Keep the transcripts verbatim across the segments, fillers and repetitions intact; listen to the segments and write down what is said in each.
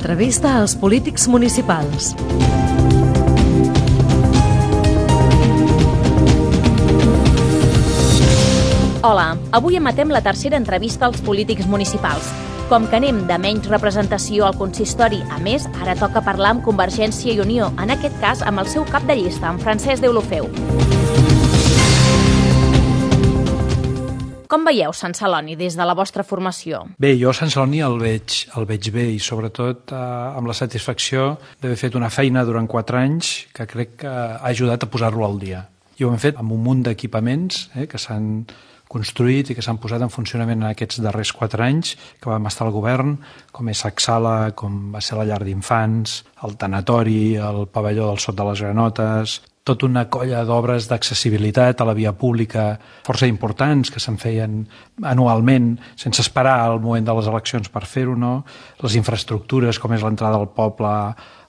L'entrevista als polítics municipals. Hola, avui emetem la tercera entrevista als polítics municipals. Com que anem de menys representació al consistori, a més, ara toca parlar amb Convergència i Unió, en aquest cas amb el seu cap de llista, en Francesc Deulofeu. Com veieu Sant Celoni des de la vostra formació? Bé, jo Sant Celoni el veig, el veig bé i sobretot eh, amb la satisfacció d'haver fet una feina durant quatre anys que crec que ha ajudat a posar-lo al dia. I ho hem fet amb un munt d'equipaments eh, que s'han construït i que s'han posat en funcionament en aquests darrers quatre anys que vam estar al govern, com és Sacsala, com va ser la llar d'infants, el tanatori, el pavelló del Sot de les Granotes, tota una colla d'obres d'accessibilitat a la via pública força importants que se'n feien anualment sense esperar al moment de les eleccions per fer-ho, no? Les infraestructures com és l'entrada al poble,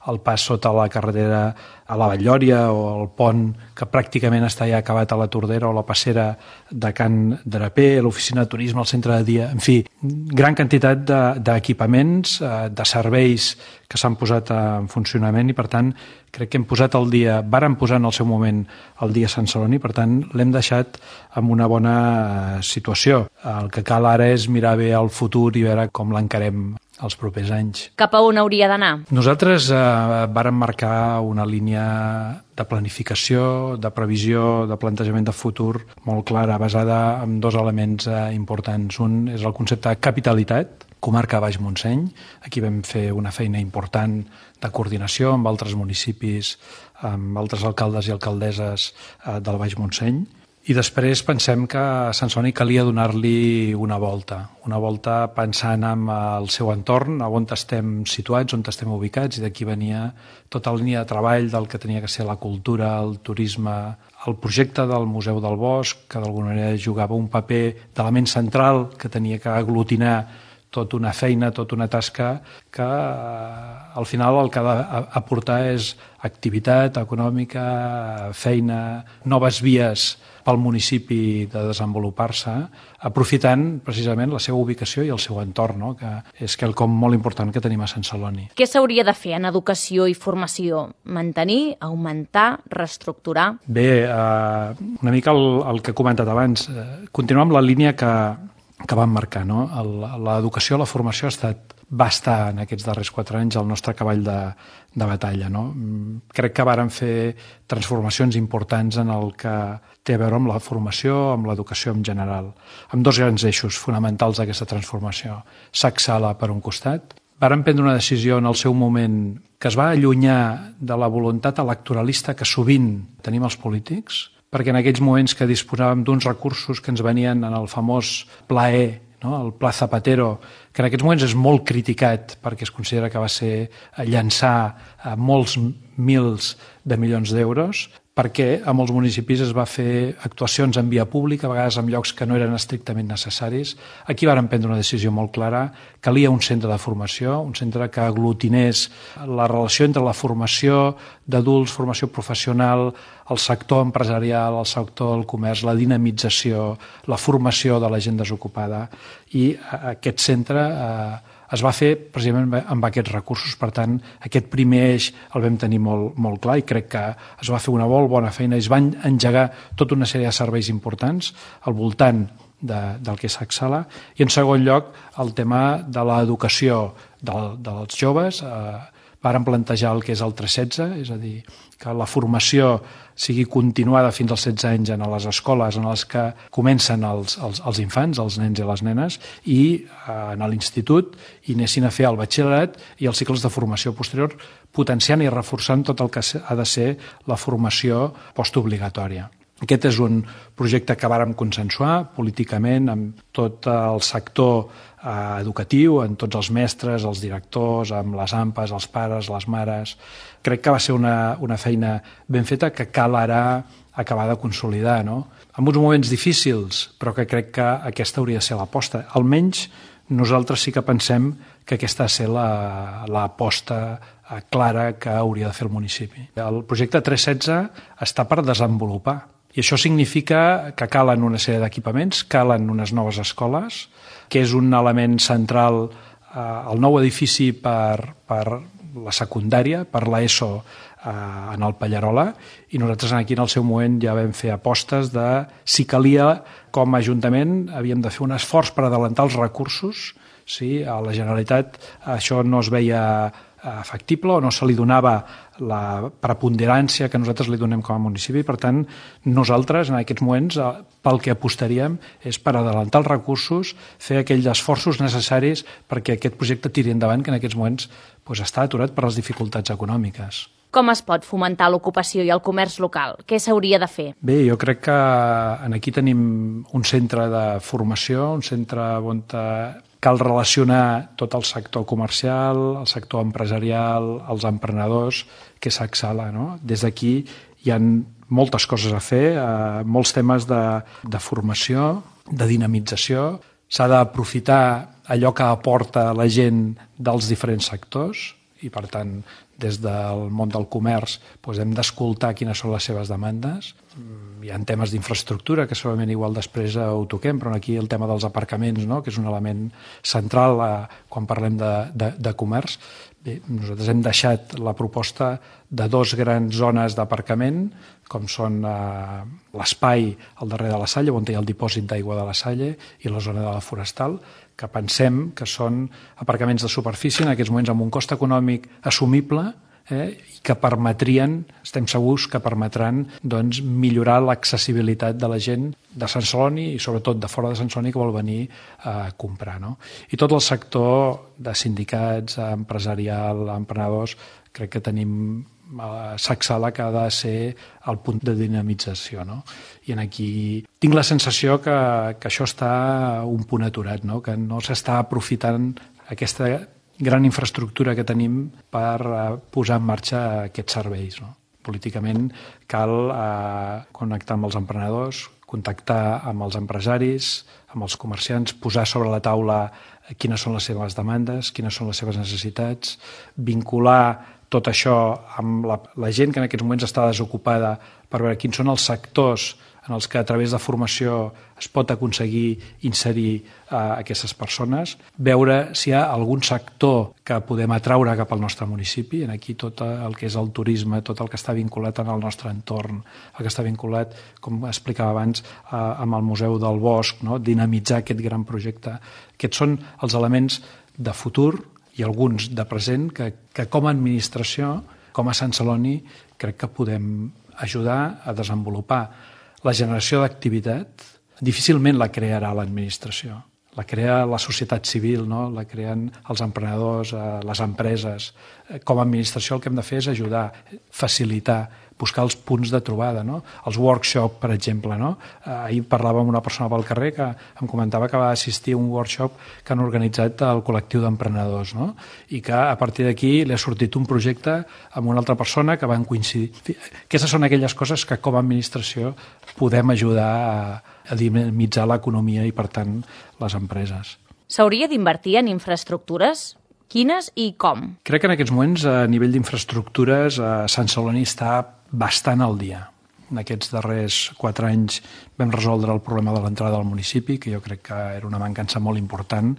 el pas sota la carretera a la Batllòria o el pont que pràcticament està ja acabat a la Tordera o la passera de Can Draper, l'oficina de turisme, el centre de dia, en fi, gran quantitat d'equipaments, de, de serveis que s'han posat en funcionament i per tant crec que hem posat al dia, vàrem posar en el seu moment el dia Sant Celoni, per tant l'hem deixat en una bona situació. El que cal ara és mirar bé el futur i veure com l'encarem els propers anys. Cap a on hauria d'anar? Nosaltres eh, vàrem marcar una línia de planificació, de previsió, de plantejament de futur molt clara, basada en dos elements eh, importants. Un és el concepte de capitalitat, comarca Baix Montseny. Aquí vam fer una feina important de coordinació amb altres municipis, amb altres alcaldes i alcaldesses eh, del Baix Montseny. I després pensem que a Sant Celoni calia donar-li una volta, una volta pensant en el seu entorn, on estem situats, on estem ubicats, i d'aquí venia tota la línia de treball del que tenia que ser la cultura, el turisme, el projecte del Museu del Bosc, que d'alguna manera jugava un paper d'element central que tenia que aglutinar tota una feina, tota una tasca que al final el que ha d'aportar és activitat econòmica, feina, noves vies pel municipi de desenvolupar-se, aprofitant precisament la seva ubicació i el seu entorn, no? Que és quelcom molt important que tenim a Sant Celoni. Què s'hauria de fer en educació i formació? Mantenir, augmentar, reestructurar? Bé, eh, una mica el, el que he comentat abans, eh, continuar amb la línia que que vam marcar, no? L'educació, la formació ha estat va estar en aquests darrers quatre anys el nostre cavall de, de batalla, no? Crec que vàrem fer transformacions importants en el que té a veure amb la formació, amb l'educació en general, amb dos grans eixos fonamentals d'aquesta transformació. Sacsala per un costat. Vàrem prendre una decisió en el seu moment que es va allunyar de la voluntat electoralista que sovint tenim els polítics, perquè en aquells moments que disposàvem d'uns recursos que ens venien en el famós Pla E, no? El Pla Zapatero, que en aquests moments és molt criticat perquè es considera que va ser llançar molts mils de milions d'euros, perquè a molts municipis es va fer actuacions en via pública, a vegades en llocs que no eren estrictament necessaris. Aquí vàrem prendre una decisió molt clara. Calia un centre de formació, un centre que aglutinés la relació entre la formació d'adults, formació professional, el sector empresarial, el sector del comerç, la dinamització, la formació de la gent desocupada. I aquest centre eh, es va fer precisament amb aquests recursos. Per tant, aquest primer eix el vam tenir molt, molt clar i crec que es va fer una molt bona feina i es van engegar tota una sèrie de serveis importants al voltant de, del que és Sacsala. I en segon lloc, el tema de l'educació de, dels joves. Eh, vàrem plantejar el que és el tres setze, és a dir, que la formació sigui continuada fins als setze anys en les escoles en les que comencen els, els, els infants, els nens i les nenes, i eh, en l'institut i anessin a fer el batxillerat i els cicles de formació posterior, potenciant i reforçant tot el que ha de ser la formació postobligatòria. Aquest és un projecte que vàrem consensuar políticament amb tot el sector eh, educatiu, amb tots els mestres, els directors, amb les AMPAs, els pares, les mares. Crec que va ser una, una feina ben feta que cal ara acabar de consolidar, no? En uns moments difícils, però que crec que aquesta hauria de ser l'aposta. Almenys nosaltres sí que pensem que aquesta ha de ser l'aposta la, clara que hauria de fer el municipi. El projecte tres setze està per desenvolupar. I això significa que calen una sèrie d'equipaments, calen unes noves escoles, que és un element central el nou edifici per, per la secundària, per l'ESO eh, en el Pallarola, i nosaltres aquí en el seu moment ja vam fer apostes de si calia, com a Ajuntament havíem de fer un esforç per adelantar els recursos. Sí, a la Generalitat això no es veia factible o no se li donava la preponderància que nosaltres li donem com a municipi. Per tant, nosaltres en aquests moments pel que apostaríem és per adelantar els recursos, fer aquells esforços necessaris perquè aquest projecte tiri endavant, que en aquests moments doncs, està aturat per les dificultats econòmiques. Com es pot fomentar l'ocupació i el comerç local? Què s'hauria de fer? Bé, jo crec que aquí tenim un centre de formació, un centre on cal relacionar tot el sector comercial, el sector empresarial, els emprenedors, que és Saxala, no? Des d'aquí hi ha moltes coses a fer, eh, molts temes de, de formació, de dinamització. S'ha d'aprofitar allò que aporta la gent dels diferents sectors i, per tant, des del món del comerç doncs hem d'escoltar quines són les seves demandes. Hi ha temes d'infraestructura que segurament igual després ho toquem, però aquí el tema dels aparcaments, no? Que és un element central eh, quan parlem de, de, de comerç. Bé, nosaltres hem deixat la proposta de dos grans zones d'aparcament, com són eh, l'espai al darrere de la Salle, on hi ha el dipòsit d'aigua de la Salle, i la zona de la Forestal, que pensem que són aparcaments de superfície en aquests moments amb un cost econòmic assumible eh, i que permetrien, estem segurs que permetran doncs, millorar l'accessibilitat de la gent de Sant Celoni i sobretot de fora de Sant Celoni que vol venir a comprar. No? I tot el sector de sindicats, empresarial, emprenedors, crec que tenim Saxala que ha de ser el punt de dinamització, no? I en aquí tinc la sensació que, que això està un punt aturat, no? Que no s'està aprofitant aquesta gran infraestructura que tenim per uh, posar en marxa aquests serveis, no? Políticament cal uh, connectar amb els emprenedors, contactar amb els empresaris, amb els comerciants, posar sobre la taula quines són les seves demandes, quines són les seves necessitats, vincular tot això amb la, la gent que en aquests moments està desocupada per veure quins són els sectors en els que a través de formació es pot aconseguir inserir eh, aquestes persones, veure si hi ha algun sector que podem atraure cap al nostre municipi, en aquí tot el que és el turisme, tot el que està vinculat en el nostre entorn, el que està vinculat, com explicava abans, eh, amb el Museu del Bosc, no? Dinamitzar aquest gran projecte. Aquests són els elements de futur i alguns de present que, que com a administració, com a Sant Celoni, crec que podem ajudar a desenvolupar. La generació d'activitat difícilment la crearà l'administració. La crea la societat civil, no? La creen els emprenedors, les empreses. Com a administració el que hem de fer és ajudar, facilitar, buscar els punts de trobada, no? Els workshops, per exemple, no? Ahir parlava amb una persona pel carrer que em comentava que va assistir a un workshop que han organitzat el col·lectiu d'emprenedors, no? I que a partir d'aquí li ha sortit un projecte amb una altra persona que van coincidir. Aquestes són aquelles coses que com a administració podem ajudar a, a dinamitzar l'economia i, per tant, les empreses. S'hauria d'invertir en infraestructures? Quines i com? Crec que en aquests moments, a nivell d'infraestructures, Sant Celoni està bastant al dia. En aquests darrers quatre anys vam resoldre el problema de l'entrada al municipi, que jo crec que era una mancança molt important,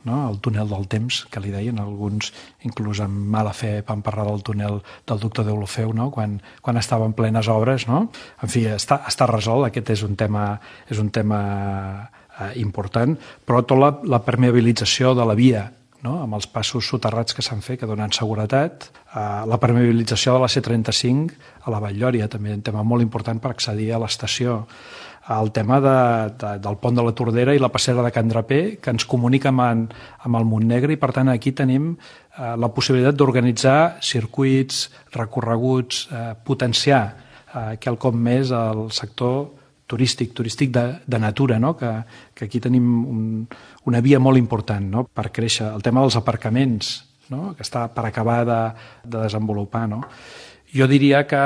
no? El túnel del temps, que li deien, alguns inclús amb mala fe van parlar del túnel del doctor Deulofeu, no? quan, quan estava en plenes obres. No? En fi, està, està resolt, aquest és un tema, és un tema eh, important, però tota la, la permeabilització de la via, no? Amb els passos soterrats que s'han fet, que donen seguretat, eh, la permeabilització de la C trenta-cinc a la Vall-lloria, també un tema molt important per accedir a l'estació, el tema de, de, del pont de la Tordera i la passera de Can Draper, que ens comunica amb, en, amb el Montnegre, i per tant aquí tenim eh, la possibilitat d'organitzar circuits, recorreguts, eh, potenciar eh, quelcom més al sector turístic, turístic de, de natura, no? que, que aquí tenim un, una via molt important, no? Per créixer. El tema dels aparcaments, no? Que està per acabar de, de desenvolupar. No? Jo diria que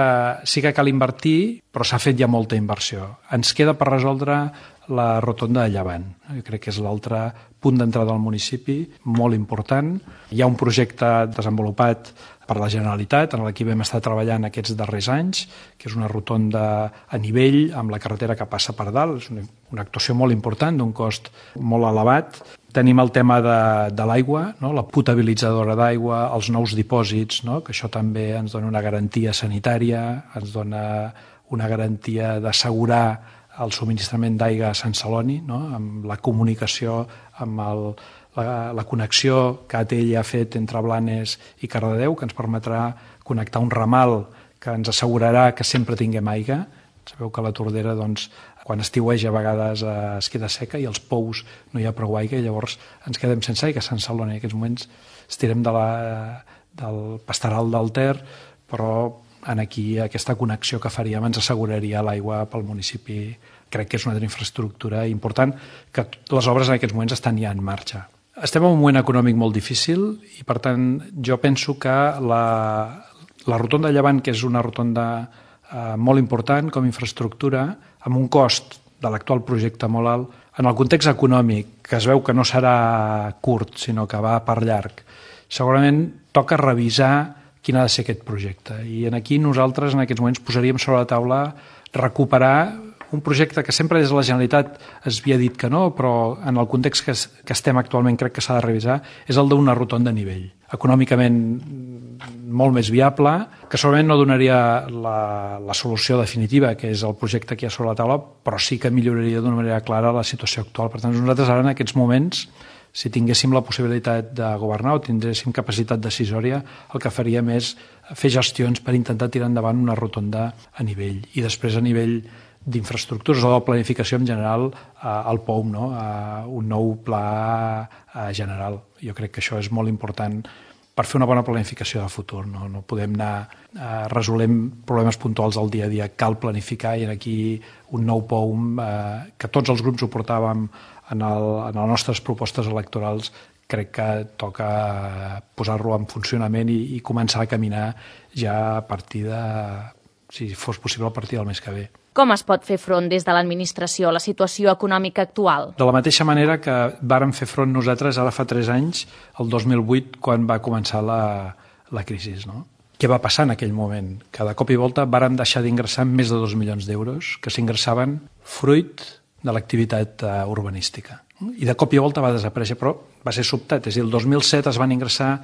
sí que cal invertir, però s'ha fet ja molta inversió. Ens queda per resoldre la rotonda de Llevant. Jo crec que és l'altre punt d'entrada al municipi, molt important. Hi ha un projecte desenvolupat per la Generalitat, en el que vam estar treballant aquests darrers anys, que és una rotonda a nivell, amb la carretera que passa per dalt. És una, una actuació molt important, d'un cost molt elevat. Tenim el tema de, de l'aigua, no? La potabilitzadora d'aigua, els nous dipòsits, no? Que això també ens dona una garantia sanitària, ens dona una garantia d'assegurar el subministrament d'aigua a Sant Celoni, no? Amb la comunicació, amb el, la, la connexió que A T L ha fet entre Blanes i Cardedeu, que ens permetrà connectar un ramal que ens assegurarà que sempre tinguem aigua. Sabeu que la Tordera, doncs, quan estiueja a vegades es queda seca i als pous no hi ha prou aigua i llavors ens quedem sense aigua a Sant Celoni. En aquests moments estirem de la, del pastoral del Ter, però en aquí aquesta connexió que faríem ens asseguraria l'aigua pel municipi. Crec que és una altra infraestructura important que les obres en aquests moments estan ja en marxa. Estem en un moment econòmic molt difícil i, per tant, jo penso que la, la rotonda de Llevant, que és una rotonda eh, molt important com a infraestructura, amb un cost de l'actual projecte molt alt, en el context econòmic, que es veu que no serà curt, sinó que va per llarg, segurament toca revisar quin ha de ser aquest projecte. I aquí nosaltres en aquests moments posaríem sobre la taula recuperar un projecte que sempre des de la Generalitat es havia dit que no, però en el context que, es, que estem actualment crec que s'ha de revisar, és el d'una rotonda a nivell. Econòmicament molt més viable, que segurament no donaria la, la solució definitiva, que és el projecte que hi ha sobre la taula, però sí que milloraria d'una manera clara la situació actual. Per tant, nosaltres ara en aquests moments, si tinguéssim la possibilitat de governar o tinguéssim capacitat decisòria, el que faríem és fer gestions per intentar tirar endavant una rotonda a nivell. I després a nivell d'infraestructures o de planificació en general, eh, el P O U M, no? eh, un nou pla eh, general. Jo crec que això és molt important per fer una bona planificació de futur. No, no podem anar eh, resolent problemes puntuals del dia a dia. Cal planificar i aquí un nou P O U M, eh, que tots els grups ho portàvem en, el, en les nostres propostes electorals, crec que toca posar-lo en funcionament i, i començar a caminar ja a partir de, si fos possible, a partir del mes que ve. Com es pot fer front des de l'administració a la situació econòmica actual? De la mateixa manera que vàrem fer front nosaltres ara fa tres anys, el dos mil vuit, quan va començar la, la crisi. No? Què va passar en aquell moment? Que de cop i volta vàrem deixar d'ingressar més de dos milions d'euros que s'ingressaven fruit de l'activitat uh, urbanística. I de cop i volta va desaparèixer, però va ser sobtat. És a dir, el dos mil set es van ingressar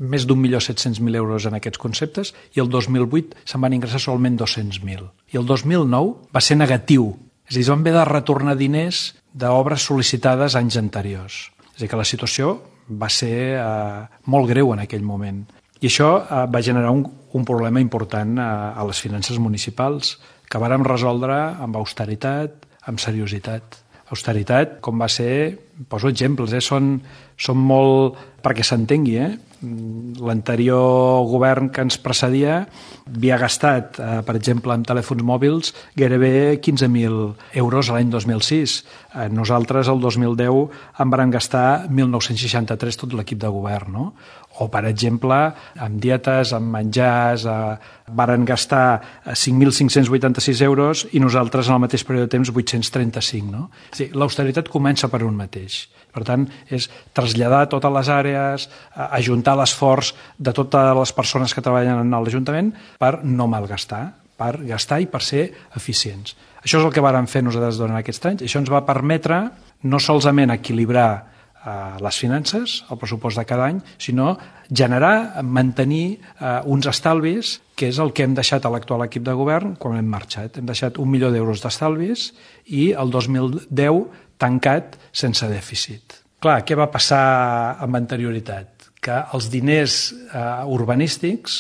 més d'un milió set-cents mil euros en aquests conceptes i el dos mil vuit se'n van ingressar solament dos-cents mil. I el dos mil nou va ser negatiu. És a dir, es van haver de retornar diners d'obres sol·licitades anys anteriors. És a dir, que la situació va ser eh, molt greu en aquell moment. I això eh, va generar un, un problema important a, a les finances municipals que vàrem resoldre amb austeritat, amb seriositat. Austeritat, com va ser, poso exemples, eh? són, són molt, perquè s'entengui, eh? L'anterior govern que ens precedia havia gastat, eh, per exemple, en telèfons mòbils gairebé quinze mil euros l'any dos mil sis. Eh, nosaltres, el dos mil deu, en vàrem gastar mil nou-cents seixanta-tres tot l'equip de govern, no? O, per exemple, amb dietes, amb menjars, eh, varen gastar cinc mil cinc-cents vuitanta-sis euros i nosaltres en el mateix període de temps vuit-cents trenta-cinc. No? És a dir, l'austeritat comença per un mateix. Per tant, és traslladar totes les àrees, eh, ajuntar l'esforç de totes les persones que treballen en l'Ajuntament per no malgastar, per gastar i per ser eficients. Això és el que vàrem fer nosaltres durant aquests anys. Això ens va permetre no solament equilibrar les finances, el pressupost de cada any, sinó generar, mantenir eh, uns estalvis, que és el que hem deixat a l'actual equip de govern quan hem marxat. Hem deixat un milió d'euros d'estalvis i el dos mil deu tancat sense dèficit. Clar, què va passar amb anterioritat? Que els diners eh, urbanístics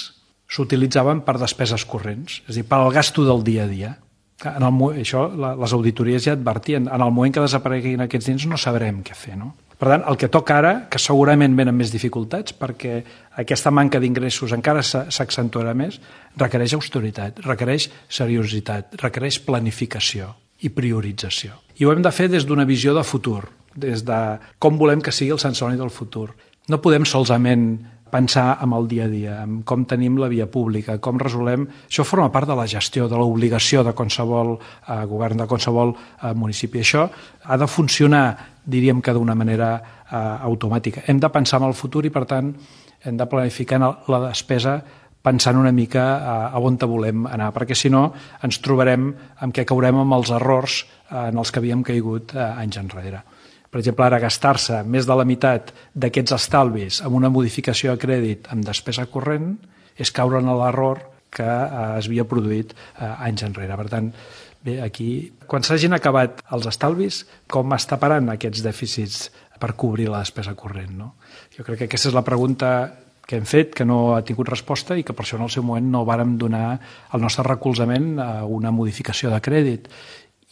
s'utilitzaven per despeses corrents, és a dir, per al gasto del dia a dia. En el, això les auditories ja advertien, en el moment que desapareguin aquests diners no sabrem què fer, no? Per tant, el que toca ara, que segurament venen més dificultats, perquè aquesta manca d'ingressos encara s'accentuarà més, requereix austeritat, requereix seriositat, requereix planificació i priorització. I ho hem de fer des d'una visió de futur, des de com volem que sigui el Sant Celoni del futur. No podem solament pensar en el dia a dia, en com tenim la via pública, com resolem... Això forma part de la gestió, de l'obligació de qualsevol eh, govern, de qualsevol eh, municipi. Això ha de funcionar, diríem que d'una manera eh, automàtica. Hem de pensar en el futur i, per tant, hem de planificar la despesa pensant una mica a on te volem anar, perquè si no ens trobarem amb què caurem amb els errors en els que havíem caigut anys enrere. Per exemple, ara gastar-se més de la meitat d'aquests estalvis amb una modificació de crèdit amb despesa corrent és caure en l'error que es havia produït anys enrere. Per tant, bé, aquí, quan s'hagin acabat els estalvis, com es taparan aquests dèficits per cobrir la despesa corrent, no? Jo crec que aquesta és la pregunta que hem fet, que no ha tingut resposta i que per això en el seu moment no vàrem donar el nostre recolzament a una modificació de crèdit.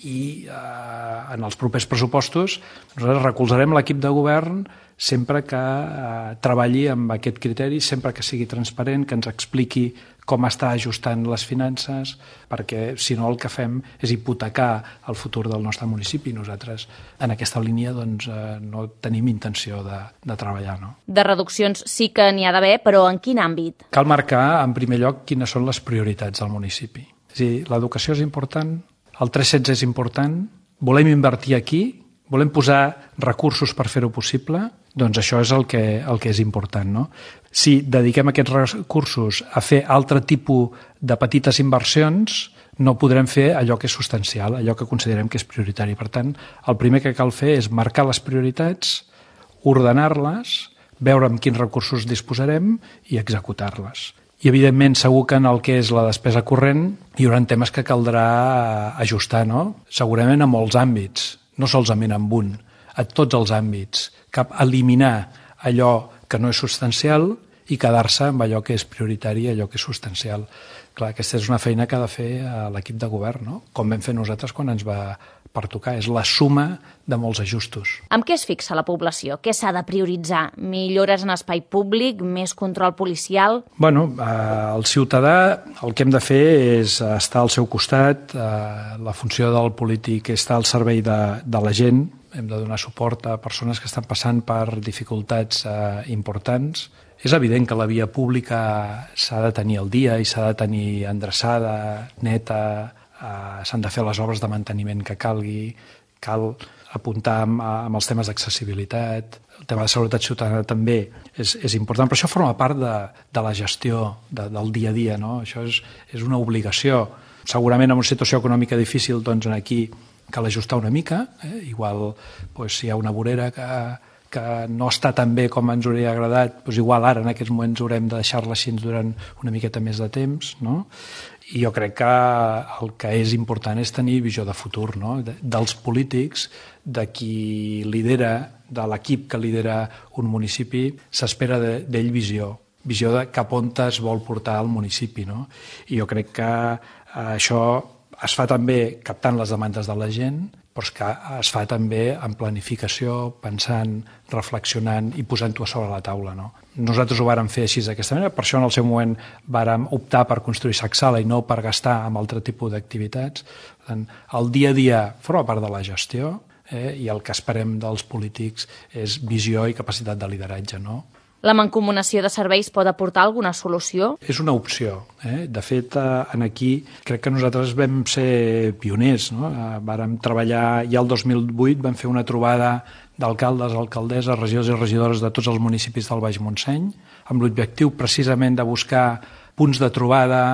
I eh, en els propers pressupostos nosaltres recolzarem l'equip de govern sempre que eh, treballi amb aquest criteri, sempre que sigui transparent, que ens expliqui com està ajustant les finances, perquè si no el que fem és hipotecar el futur del nostre municipi. Nosaltres en aquesta línia doncs, eh, no tenim intenció de, de treballar. No? De reduccions sí que n'hi ha d'haver, però en quin àmbit? Cal marcar, en primer lloc, quines són les prioritats del municipi. És a dir, l'educació és important, el tres setze és important, volem invertir aquí, volem posar recursos per fer-ho possible, doncs això és el que, el que és important. No? Si dediquem aquests recursos a fer altre tipus de petites inversions, no podrem fer allò que és substancial, allò que considerem que és prioritari. Per tant, el primer que cal fer és marcar les prioritats, ordenar-les, veure amb quins recursos disposarem i executar-les. I, evidentment, segur que en el que és la despesa corrent hi haurà temes que caldrà ajustar, no? Segurament a molts àmbits, no solament en un, a tots els àmbits, cap eliminar allò que no és substancial i quedar-se amb allò que és prioritari i allò que és substancial. Clar, aquesta és una feina que ha de fer l'equip de govern, no? Com vam fer nosaltres quan ens va pertocar. És la suma de molts ajustos. Amb què es fixa la població? Què s'ha de prioritzar? Millores en espai públic? Més control policial? Bueno, eh, el ciutadà el que hem de fer és estar al seu costat. Eh, la funció del polític és estar al servei de, de la gent. Hem de donar suport a persones que estan passant per dificultats eh, importants. És evident que la via pública s'ha de tenir al dia i s'ha de tenir endreçada, neta, eh, s'han de fer les obres de manteniment que calgui, cal apuntar amb, amb els temes d'accessibilitat, el tema de seguretat ciutadana també és, és important, però això forma part de, de la gestió de, del dia a dia, no? Això és, és una obligació. Segurament en una situació econòmica difícil, doncs aquí cal ajustar una mica, eh? Igual doncs, si hi ha una vorera que que no està tan bé com ens hauria agradat, doncs igual ara en aquests moments haurem de deixar-la així durant una miqueta més de temps, no? I jo crec que el que és important és tenir visió de futur, no? De, dels polítics, de qui lidera, de l'equip que lidera un municipi, s'espera d'ell visió, visió de cap on es vol portar el municipi, no? I jo crec que això es fa també captant les demandes de la gent, però que es fa també en planificació, pensant, reflexionant i posant-ho a sobre la taula. No? Nosaltres ho vàrem fer així d'aquesta manera, per això en el seu moment vàrem optar per construir Sacsala i no per gastar en altre tipus d'activitats. El dia a dia forma part de la gestió eh, i el que esperem dels polítics és visió i capacitat de lideratge, no? La mancomunació de serveis pot aportar alguna solució? És una opció. Eh? De fet, en aquí crec que nosaltres vam ser pioners. No? Vàrem treballar ja el dos mil vuit, vam fer una trobada d'alcaldes, alcaldesses, regidors i regidores de tots els municipis del Baix Montseny, amb l'objectiu precisament de buscar punts de trobada,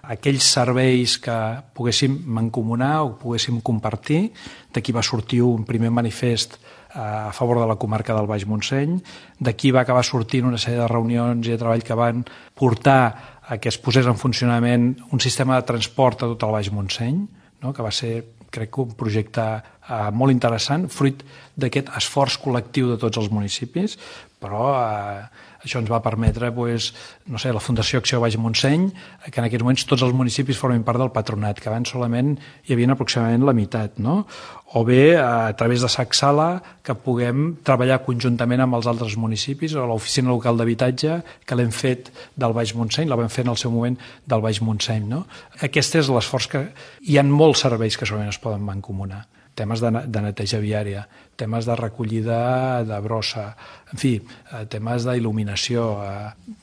aquells serveis que poguéssim mancomunar o poguéssim compartir. D'aquí va sortir un primer manifest a favor de la comarca del Baix Montseny. D'aquí va acabar sortint una sèrie de reunions i de treball que van portar a que es posés en funcionament un sistema de transport a tot el Baix Montseny, no? Que va ser, crec que, un projecte eh, molt interessant, fruit d'aquest esforç col·lectiu de tots els municipis, però eh, això ens va permetre, pues, no sé, la Fundació Acció Baix Montseny, que en aquests moments tots els municipis formen part del patronat, que abans solament hi havia aproximadament la meitat, no? O bé a través de Sacsala, que puguem treballar conjuntament amb els altres municipis, o l'Oficina Local d'Habitatge, que l'hem fet del Baix Montseny, la vam fer en el seu moment del Baix Montseny, no? Aquest és l'esforç que... Hi ha molts serveis que solament es poden mancomunar. Temes de, de neteja viària, temes de recollida de brossa, en fi, temes d'il·luminació,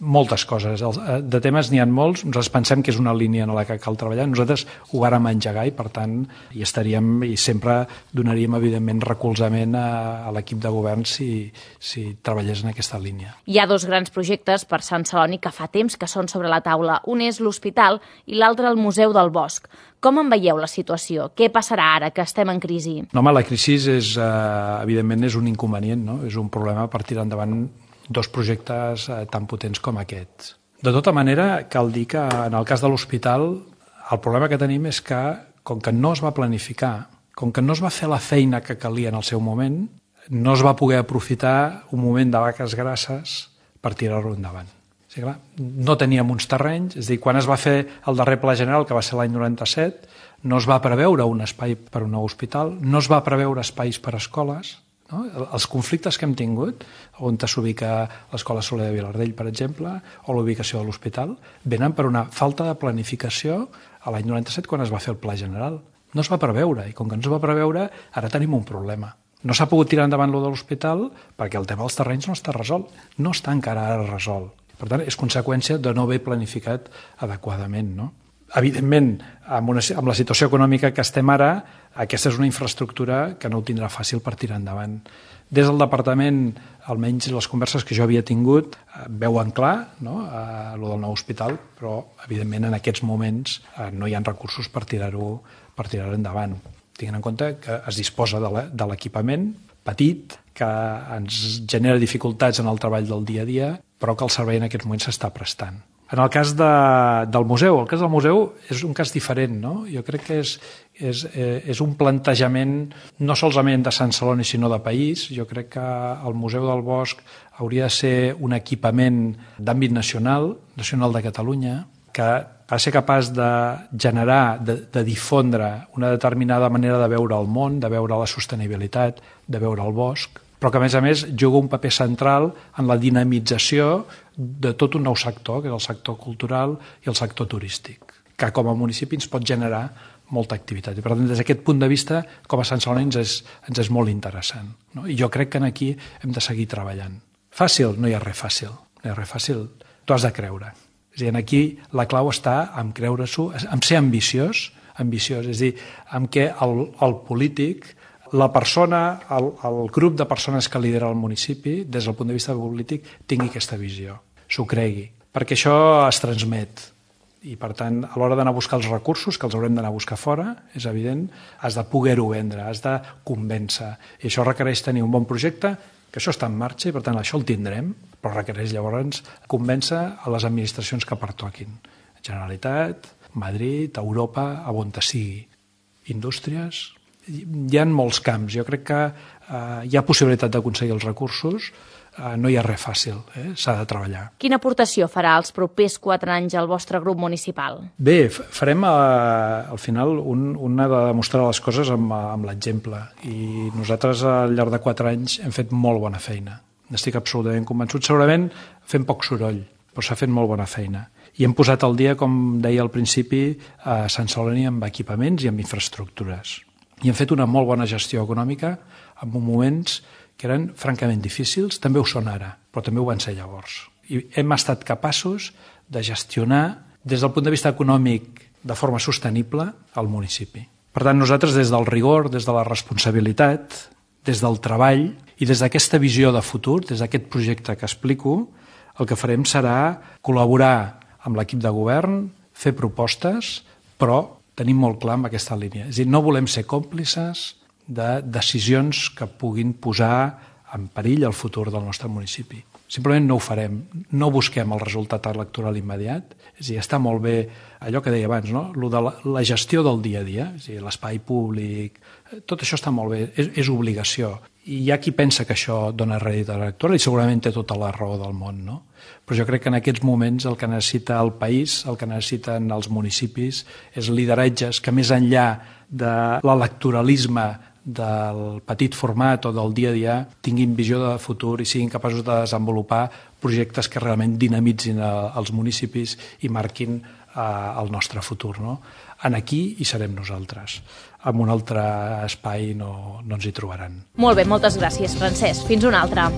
moltes coses. De temes n'hi ha molts, nosaltres pensem que és una línia en la que cal treballar, nosaltres ho vàrem engegar i, per tant, hi estaríem i sempre donaríem, evidentment, recolzament a, a l'equip de govern si, si treballés en aquesta línia. Hi ha dos grans projectes per Sant Celoni que fa temps que són sobre la taula. Un és l'hospital i l'altre el Museu del Bosc. Com en veieu la situació? Què passarà ara que estem en crisi? No, home, la crisi és, eh, evidentment, és un inconvenient, no? És un problema per tirar endavant dos projectes eh, tan potents com aquests. De tota manera, cal dir que en el cas de l'hospital el problema que tenim és que, com que no es va planificar, com que no es va fer la feina que calia en el seu moment, no es va poder aprofitar un moment de vaques grasses per tirar-lo endavant. O sigui, clar, no teníem uns terrenys, és a dir, quan es va fer el darrer pla general, que va ser l'any noranta-set, no es va preveure un espai per a un nou hospital, no es va preveure espais per a escoles. No? Els conflictes que hem tingut, on s'ubica l'Escola Soler de Vilardell, per exemple, o la ubicació de l'hospital, venen per una falta de planificació a l'any noranta-set quan es va fer el pla general. No es va preveure, i com que no es va preveure, ara tenim un problema. No s'ha pogut tirar endavant lo de l'hospital perquè el tema dels terrenys no està resolt, no està encara ara resolt. Per tant, és conseqüència de no haver planificat adequadament, no? Evidentment, amb, una, amb la situació econòmica que estem ara, aquesta és una infraestructura que no ho tindrà fàcil per tirar endavant. Des del departament, almenys les converses que jo havia tingut, veuen clar, no?, a lo del nou hospital, però, evidentment, en aquests moments no hi ha recursos per tirar-ho per tirar-ho endavant. Tinguent en compte que es disposa de l'equipament petit, que ens genera dificultats en el treball del dia a dia, però que el servei en aquests moments s'està prestant. En el cas de, del museu, el cas del museu és un cas diferent, no? Jo crec que és, és, és un plantejament no solament de Sant Celoni, sinó de país. Jo crec que el Museu del Bosc hauria de ser un equipament d'àmbit nacional, nacional de Catalunya, que ha de ser capaç de generar, de, de difondre una determinada manera de veure el món, de veure la sostenibilitat, de veure el bosc, però que, a més a més, juga un paper central en la dinamització de tot un nou sector, que és el sector cultural i el sector turístic, que com a municipi ens pot generar molta activitat. I, per tant, des d'aquest punt de vista, com a Sant Celoni ens és, ens és molt interessant. No? I jo crec que aquí hem de seguir treballant. Fàcil? No hi ha res fàcil. No hi ha res fàcil. T'ho has de creure. És a dir, aquí la clau està en creure-s'ho, en ser ambiciós, ambiciós, és a dir, en què el, el polític, la persona, el, el grup de persones que lidera el municipi, des del punt de vista polític, tingui aquesta visió, s'ho cregui, perquè això es transmet. I, per tant, a l'hora d'anar a buscar els recursos, que els haurem d'anar a buscar fora, és evident, has de poder-ho vendre, has de convèncer. I això requereix tenir un bon projecte, que això està en marxa i, per tant, això el tindrem, però requereix llavors convèncer a les administracions que pertoquin. Generalitat, Madrid, Europa, a on sigui. Indústries. Hi ha molts camps. Jo crec que eh, hi ha possibilitat d'aconseguir els recursos, eh, no hi ha res fàcil, eh? S'ha de treballar. Quina aportació farà els propers quatre anys al vostre grup municipal? Bé, farem eh, al final un, un ha de demostrar les coses amb, amb l'exemple, i nosaltres al llarg de quatre anys hem fet molt bona feina. N'estic absolutament convençut. Segurament fem poc soroll, però s'ha fet molt bona feina. I hem posat al dia, com deia al principi, a Sant Celoni amb equipaments i amb infraestructures. I hem fet una molt bona gestió econòmica en moments que eren francament difícils, també ho són ara, però també ho van ser llavors. I hem estat capaços de gestionar, des del punt de vista econòmic, de forma sostenible, el municipi. Per tant, nosaltres, des del rigor, des de la responsabilitat, des del treball i des d'aquesta visió de futur, des d'aquest projecte que explico, el que farem serà col·laborar amb l'equip de govern, fer propostes, però tenim molt clar en aquesta línia. És a dir, no volem ser còmplices de decisions que puguin posar en perill el futur del nostre municipi. Simplement no ho farem. No busquem el resultat electoral immediat. És a dir, està molt bé allò que deia abans, no? Lo de la, la gestió del dia a dia, és a dir, l'espai públic, tot això està molt bé, és, és obligació. I hi ha qui pensa que això dona rèdit electoral i segurament té tota la raó del món, no? Però jo crec que en aquests moments el que necessita el país, el que necessiten els municipis, és lideratges que més enllà de l'electoralisme del petit format o del dia a dia tinguin visió de futur i siguin capaços de desenvolupar projectes que realment dinamitzin els municipis i marquin al nostre futur. No? En aquí hi serem nosaltres. En un altre espai no, no ens hi trobaran. Molt bé, moltes gràcies, Francesc. Fins una altra.